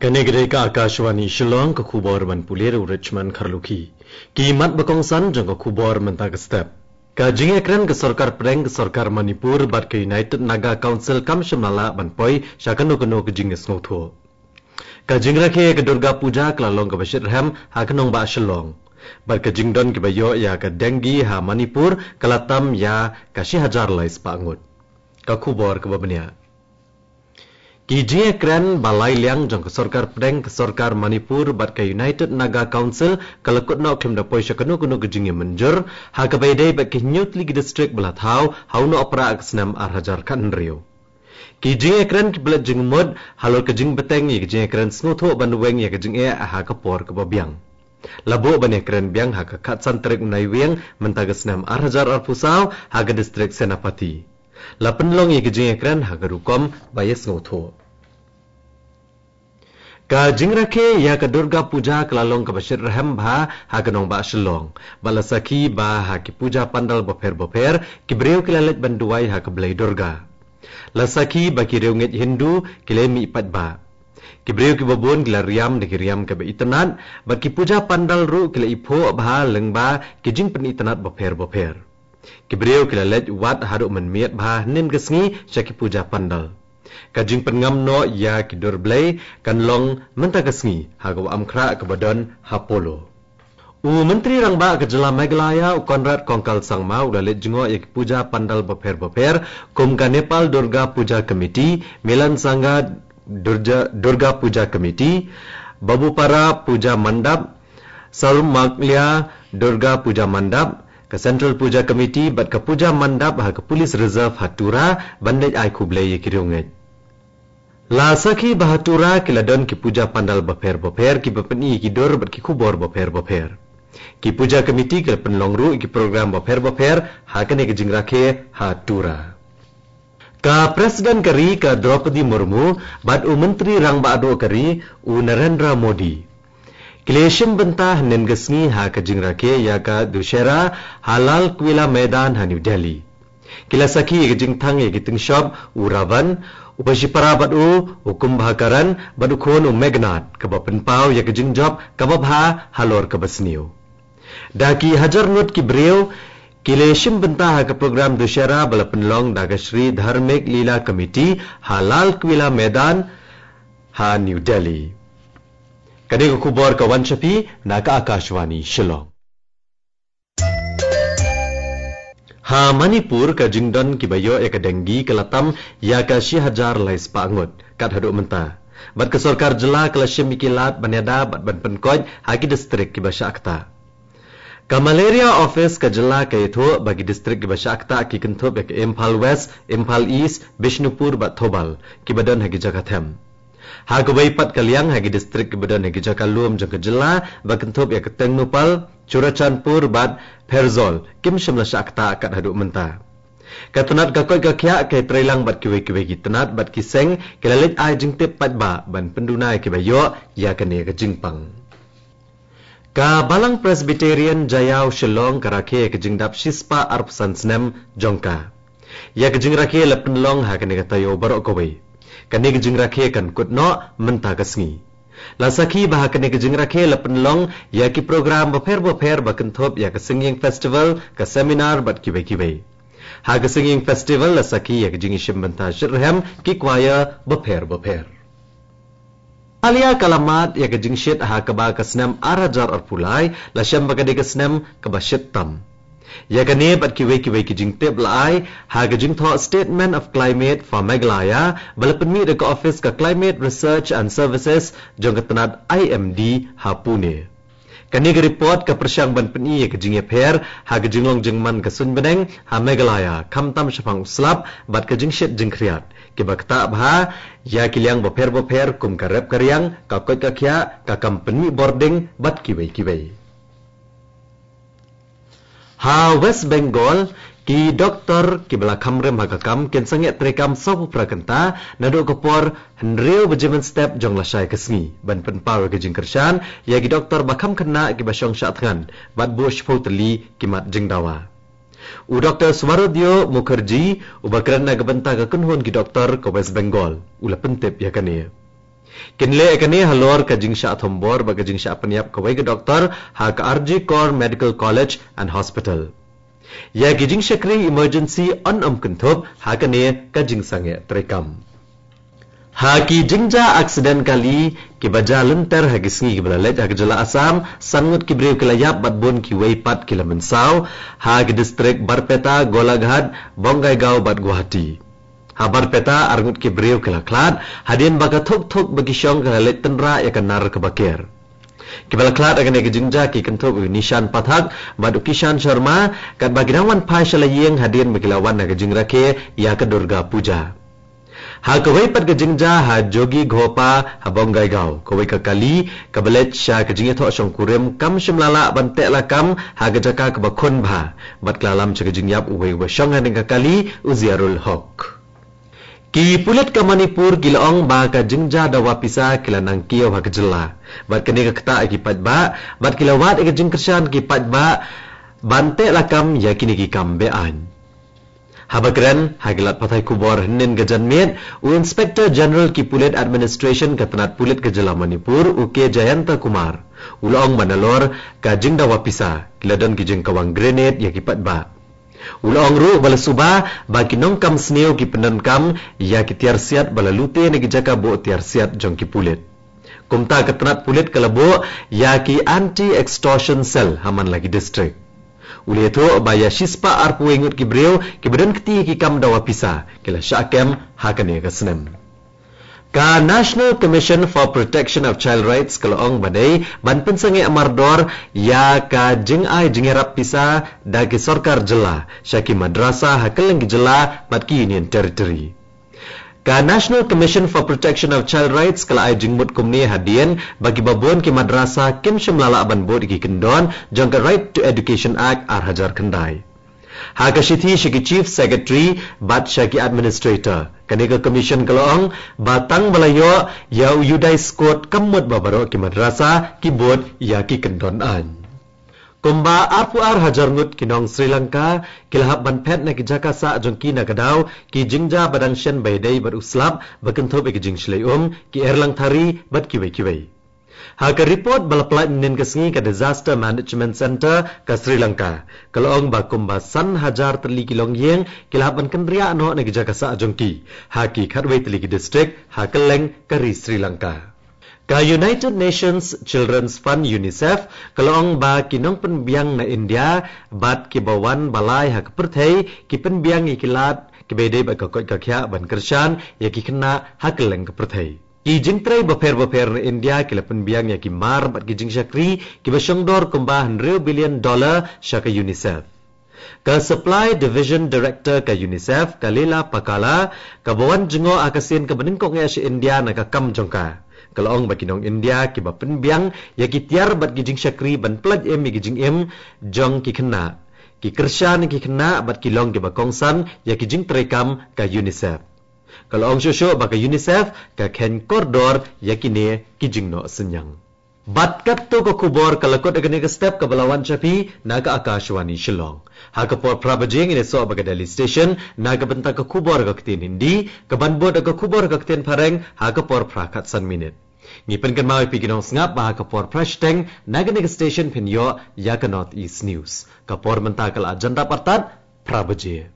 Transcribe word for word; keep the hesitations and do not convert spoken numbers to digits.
Kane ka dei ka Akashvani Shillong, ka khubor ban pule da u Richmond Kharlukhi. Ki mat ba kongsan jong ka khubor mynta ka step. Ka jingïakren ka sorkar pdeng ka sorkar Manipur bad ka United Naga Council kam shym la lah ban poi sha kano kano ka jingsngewthuh. Ka jingrakhe ka Durga Puja ka la long kaba shitrhem ha ka nongbah Shillong. Bad ka jingdon kiba ïoh ïa ka dengue ha Manipur ka la tam ïa ka shi hajar lai spah ngut. Ka khubor kaba bniah. Ki jingïakren ba lai liang jong ka sorkar pdeng ka sorkar Manipur bad ka United Naga Council ka la kut noh khlem da poi sha kano kano ka jingïamynjur ha kaba ïadei bad ki hynñiew tylli ki district ba la thaw ha u Nohprah ka snem ar hajar khathynriew. Ki jingïakren kiba leit jingmut halor ka jingbteng ïa ka jingïakren sngewthuh ban weng ïa ka jingeh ha ka por kaba biang. La buh ban ïakren biang ha ka khatsan tarik u Naiwieng mynta ka snem ar hajar arphew saw ha ka district Senapati. La pynlong ïa ka jingïakren ha ka rukom ba ïasngewthuh. Ka jingrakhe ïa ka Durga Puja ka la long kaba shitrhem bha ha ka nongbah Shillong. Bad la sakhi ba ha ki puja pandal bapher bapher ki briew ki la leit ban duwai ha ka Blei Durga. La sakhi ba ki riewngeit Hindu ki la mih paidbah. Ki briew kiba bun ki la riam da ki riam kiba itynnad bad ki puja pandal ruh ki la iphuh bha lyngba ki jingpynitynnad bapher bapher. Ki briew ki la leit wad haduh mynmiet bha hynnin ka sngi sha ki puja pandal. Ka jingpynngam noh ïa ki dur blei kan long mynta ka sngi ha ka wah Amkhrah kaba don ha Polo. U Myntri Rangbah ka Jylla Meghalaya u Conrad Kongkal Sangma u la leit jngoh ïa ki puja pandal bapher bapher kum ka Nepal Durga Puja Committee, Milan Sangha Durja, Durga Puja Committee, Babupara Puja Mandap, Sarumaglia Durga Puja Mandap, ka Central Puja Committee bad ka Puja Mandap ha ka Police Reserve ha Tura ban leit ai khublei ïa ki riewngeit. La sakhi ba ha Tura ki la don ki puja pandal bapher bapher kiba pyni ïa ki dur bad ki khubor bapher bapher. Ki puja committee ki la pynlong ruh ïa ki program bapher bapher ha kane ka jingrakhe ha Tura. Ka President ka ri ka Droupadi Murmu bad u Myntri Rangbah Duh ka ri u Narendra Modi ki la shim bynta hynnin ka sngi ha ka jingrakhe ïa ka Dussehra ha Lal Quila Maidan ha New Delhi. Ki la sakhi ïa ka jingthang ïa ki tyngshop u Ravan, u bashipara bad u, u Kumbhakaran bad u khun u Meghnad kaba pynpaw ïa ka jingjop kaba bha halor kaba sniew. Da ki hajar ngut ki briew ki la shim bynta ha ka program Dussehra ba la pynlong da ka Shri Dharmik Leela Committee ha Lal Quila Maidan ha New Delhi. Kane ka khubor ka wan sha phi na ka Akashvani Shillong. Ha Manipur ka jingdon kiba ïoh ïa ka dengue ka la tam ïa ka shi hajar lai spah ngut kat haduh mynta. Bad ka sorkar jylla ka la shim ïa ki lad ban ïada bad ban pynkoit ha ki distrik kiba shah ktah. Ka Malaria Office ka jylla ka ïathuh ba ki distrik kiba shah ktah ki kynthup ïa ka Imphal West, Imphal East, Bishnupur bad Thoubal kiba don ha ki jaka them. Ha kawei pat ka liang ha ki distrik kiba don ha ki jaka lum jong ka jylla ba kynthup ïa ka Tengnoupal, Churachandpur bad Pherzawl kim shym la shah ktah kat haduh mynta. Ka tnat ka koit ka khiah ka treilang bad kiwei kiwei ki tnat bad ki seng ki la leit ai jingtip paidbah ban pynduna ïa kiba ïoh ïa kane ka jingpang. Ka Balang Presbyterian Jaiaw Shillong ka rakhe ïa ka jingdap shispah arphew san snem jong ka. Ïa ka jingrakhe la pynlong ha kane ka taïew baroh kawei. Kane ka jingrakhe kan kut noh mynta ka sngi. La sakhi ba ha kane ka jingrakhe la pynlong ïa ki program bapher bapher ba kynthup ïa ka Singing Festival, ka seminar bad kiwei kiwei. Ha ka Singing Festival la sakhi ïa ka jingïashim bynta shitrhem ki choir bapher bapher. Meghalaya ka la mad ïa ka jingshit ha kaba ka snem ar hajar arphew lai la shem ba ka dei ka snem kaba shit tam. Ïa kane bad kiwei kiwei ki jingtip la ai ha ka jingthoh Statement of Climate for Meghalaya ba la pynmih da ka ophis ka Climate Research and Services jong ka tnat I M D ha Pune. Kane ka report ka pyrshang ban pyni ïa ka jingïapher ha ka jinglong jingman ka suiñ bneng ha Meghalaya, khamtam shaphang u slap bad ka jingshit jingkhriat kiba ktah bha ïa ki liang bapher bapher kum ka rep ka riang, ka koit ka khiah, ka kam pynmih bording bad kiwei kiwei. Ha West Bengal, ki doktor kiba la kham rim ha ka kam kin sangeh treikam sawphew phra kynta naduh ka por hynriew baje mynstep jong lashai ka sngi ban pynpaw ïa ka jingkyrshan ïa ki doktor ba kham khynnah kiba shong shah thngan bad buh shiphew tylli ki mat jingdawa. U Doktor Swarodyo Mukherjee uba kren na ka bynta ka kynhun ki doktor ka West Bengal u la pyntip ïa kane. Kin leh ïa kane halor ka jingshah thombor bad ka jingshah pynïap kawei ka doktor ha ka R G Kar Medical College and Hospital. Ïa ki jingshakri emergency yn ym kynthup ha kane ka jingsangeh treikam. Ha ki jingjia aksiden kali kiba jia lynter ha ki sngi kiba la leit ha ka jylla Assam, san ngut ki briew ki la ïap bad bun kiwei pat ki la mynsaw ha ki distrik Barpeta, Golaghat, Bongaigaon bad Guwahati. Ha Barpeta ar ngut ki briew ki la khlad hadien ba ka thuk thuk ba ki shong ka la leit tynrah ïa ka nar kaba ker. Kiba la khlad ha kane ka jingjia ki kynthup u Nishan Pathak bad u Kishan Sharma, katba ki dang wan phai sha la ïing hadien ba ki la wan ha ka jingrakhe ïa ka Durga Puja. Ha kawei pat ka jingjia ha Jogighopa ha Bongaigaon, kawei ka kali kaba leit sha ka jingïathoh shongkurim kam shym la lah ban teh lakam ha ka jaka kaba khun bha, bad ka la lam sha ka jingïap uwei uba shong ha kane ka kali, u Ziarul Hok. Ki pulit ka Manipur ki la ong ba ka jingjia dawa pisa ki la nang kiew ha ka jylla, bad kane ka ktah ïa ki paidbah, bad ki la wad ïa ka jingkyrshan ki paidbah ban teh lakam ïa kine ki kam be-aiñ. Haba kren ha ki lad pathai khubor hynnin ka janmiet, u Inspector General ki Pulit Administration ka tnat pulit ka jylla Manipur, u K Jayanta Kumar, u la ong ba nalor ka jingdawa pisa ki la don ki jingkawang grenade ïa ki paidbah. U la ong ruh ba la suba ba ki nongkam sniew ki pyndonkam ïa ki tiar siat ba la lute na ki jaka buh tiar siat jong ki pulit. Kumta ka tnat pulit ka la buh ïa ki anti extortion cell ha man la ki distrik. U la ïathuh ba ïa shispah arphew ngut ki briew kiba don kti ki kam dawa pisa ki la shah kem ha kane ka snem. Ka National Commission for Protection of Child Rights ka la ong ba dei ban pynsangeh mardor ïa ka jingai jingïarap pisa da ki sorkar jylla sha ki madrasa ha kylleng ki jylla bad ki Union Territory. Ka National Commission for Protection of Child Rights ka la ai jingmut kumne hadien ba kiba bun ki madrasa kim shym la lah ban bud ïa ki kyndon jong ka Right to Education Act ar hajar khyndai. Ha ka shithi sha ki Chief Secretary bad sha ki Administrator, kane ka Commission ka la ong ba tang ba la ïoh ïa u Uday Scote kam mut ba baroh ki madrasa ki bud ïa ki kyndon aiñ. Kumba arphew ar hajar ngut ki nong Sri Lanka ki la hap ban phet na ki jaka sah jong ki na ka daw ki jingjia ba dang shen ba ïadei bad u slap ba kynthup ïa ki jingshlei um, ki erlang thari bad kiwei kiwei. Ha ka report ba la pynlait mynnin ka sngi ka Disaster Management Centre ka Sri Lanka, ka la ong ba kumba san hajar tylli ki longïing ki la hap ban kynriah noh na ki jaka sah jong ki ha ki khatwei tylli ki distrik ha kylleng ka ri Sri Lanka. Ka United Nations Children's Fund, UNICEF, ka la ong ba ki nongpynbiang na India bad kiba wan ba lai ha ka pyrthei ki pynbiang ïa ki lad kiba ïadei bad ka koit ka khiah ban kyrshan ïa ki khynnah ha kylleng ka pyrthei. Ki jingtrei bapher bapher na India ki la pynbiang ïa ki mar bad ki jingshakri kiba shongdor kumba hynriew billion dollar sha ka UNICEF. Ka Supply Division Director ka UNICEF, ka Leela Pakala, kaba wan jngoh ha ka sien kaba nyngkong eh sha India na ka kam jong ka, ka la ong ba ki nong India kiba pynbiang ïa ki tiar bad ki jingshakri ban pyllait im ïa ki jingim jong ki khynnah, ki kyrshan ïa ki khynnah bad ki long kiba kongsan ïa ki jingtrei kam ka UNICEF. Ka la ong shuh shuh ba ka UNICEF ka kheiñ kordor ïa kine ki jingnoh synñiang. Bad katto ka khubor ka la kut ha kane ka step kaba la wan sha phi na ka Akashvani Shillong. Ha ka por phra baje ngin ïasoh bad ka Delhi Station na ka bynta ka khubor ka ktien Hindi, kaban bud ka khubor ka ktien Phareng ha ka por phra khatsan minit. Ngi pynkynmaw ïa phi ki nongsngap ba ha ka por phra shiteng na kane ka station phin ïoh ïa ka North East News. Ka por mynta ka la jan dap artat phra baje.